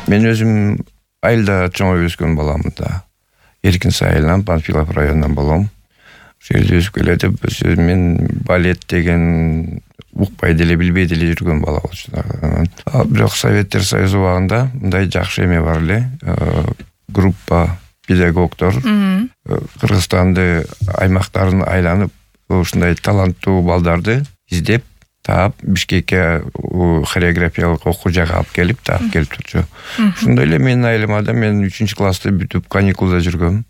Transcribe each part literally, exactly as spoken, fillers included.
Мен өзүм айылда чоңоюп өскөн баламын да. Эркинсай айылынан, Панфилов районунан болом. Ошол жерде өсүп келатып, мен балет деген укпай деле, билбей деле жүргөн бала болчу. Бирок Советтер Союзу убагында мындай жакшы эме бар эле. Группа педагогдор Кыргызстанды аймактарын айланып, ушундай таланттуу балдарды издеп, таап Бишкекке хореографиялык окуу жайга алып келип, таап келип турчу. Ошондой эле менин айылыма да мен үчүнчү классты бүтүп каникулда жүргөм.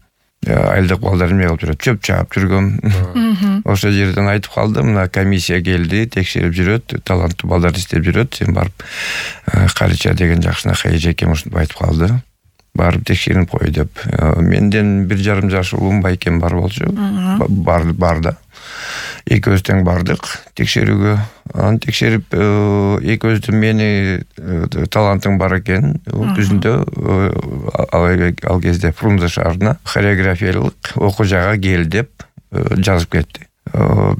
Айылдык балдар эме кылып жүрөт, чөп чаап жүргөм. Ошол жерден айтып калды, мына комиссия келди, текшерип жүрөт, таланттуу балдарды издеп жүрөт. Сен барып Карича деген жакшынакай эжекем ушинтип айтып калды. Барып текшерип кой деп. Менден бир жарым жаш улум байкем бар болчу. Бар бар да. Экөөбүз тең бардык текшерүүгө. Аны текшерип, экөөбүздү мени талантың бар экен. Түзүндө ал кезде Фрунзе шаарына хореографиялык окуу жайга кел деп жазып кетти.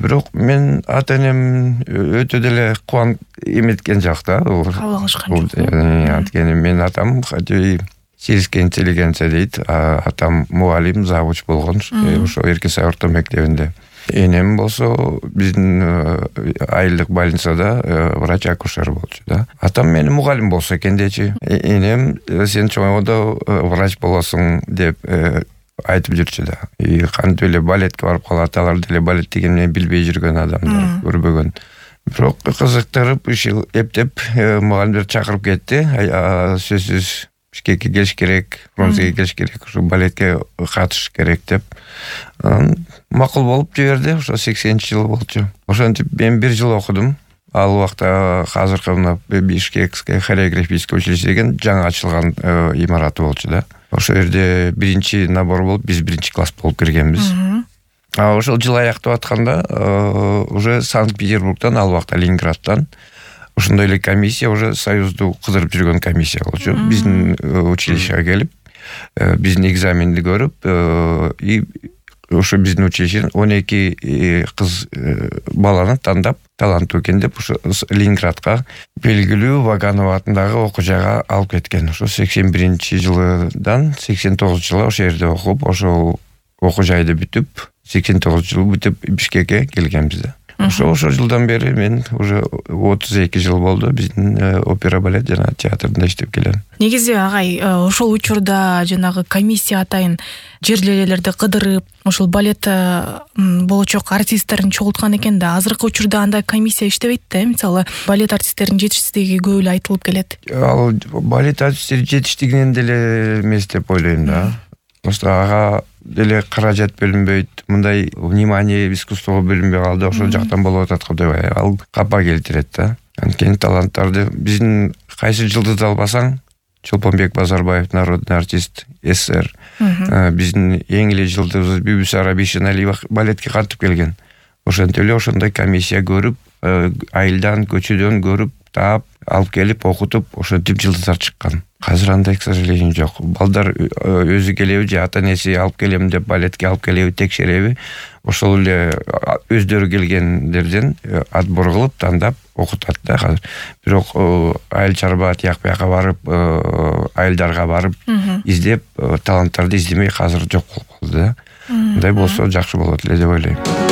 Бирок мен ата-энем өтө деле кубанып эметкен жок да. Кабыл алышкан жок. Анткени мен атам сельский интеллигенция дейт. Атам мугалим, завуч болгон. Ошо Эркинсай орто мектебинде. Энем болсо биздин айылдык больницада врач-акушер болчу да. Атам мени мугалим болсо экен дечи. Энем сен чоңойгондо врач болосуң деп айтып жүрчү да. И кантип эле балетке барып калат, алар деле балет дегенди билбей жүргөн адамдар, көрбөгөн. Бирок кызыктырып, ушул эптеп мугалимдер чакырып кетти. Сөзсүз Бишкекке келиш керек, Фрунзеге келиш керек, ушу балетке катышыш керек деп. Макул болуп жиберди. Ошо сексенинчи жыл болчу. Ошентип мен бир жыл окудум. Ал убакта азыркы мына Бишкекское хореографическое училище деген жаңы ачылган имараты болчу да. Ошол жерде биринчи набор болуп, биз биринчи класс болуп киргенбиз. А ошол жыл аяктап атканда уже Санкт-Петербургдан, ал убакта Ленинградтан ошондой эле комиссия, уже Союзду кыдырып жүргөн комиссия болчу. Биздин училищеге келип, биздин экзаменди көрүп, и ошо биздин училищеден он эки кыз баланы тандап, таланттуу экен деп, ошо Ленинградка белгилүү Ваганов атындагы окуу жайга алып кеткен. Ошо сексен биринчи жылдан сексен тогузунчу жылга ошол жерде окуп, ошол окуу жайды бүтүп, сексен тогузунчу жылы бүтүп Бишкекке келгенбиз да. Ошо ошол жылдан бери мен уже отуз эки жыл болду биздин опера балет жана театрында иштеп келем. Негизи агай, ошол учурда жанагы комиссия атайын жерлерди кыдырып, ошол балет болочок артисттерин чогулткан экен да. Азыркы учурда андай комиссия иштебейт да. Мисалы, балет артисттеринин жетишсиздиги көп эле айтылып келет. Ал балет артисттери жетиштигинен деле эмес деп ойлойм да. Просто ага деле каражат бөлүнбөйт, мындай внимание искусствого бөлүнбөй калды, ошол жактан болуп атат го деп ал капа келтирет да. Анткени таланттарды биздин кайсы жылдызды албасаң, Чолпонбек Базарбаев народный артист, СССР. Биздин эң эле жылдызыбыз Бибисара Бишеналиева балетке кантип келген. Ошентип эле ошондой комиссия көрүп, айылдан, көчөдөн көрүп, таап, алып келип окутуп, ошентип жылдыздар чыккан. Азыр андай, к сожалению, жок. Балдар өзү келеби же ата-энеси алып келем деп балетке алып келеби, текшереби, ошол эле өздөрү келгендерден отбор кылып, тандап окутат да азыр. Бирок айыл чарба тияк бияка барып, айылдарга барып издеп, таланттарды издемей азыр жок болуп калды да. Мындай болсо жакшы болот эле деп ойлойм.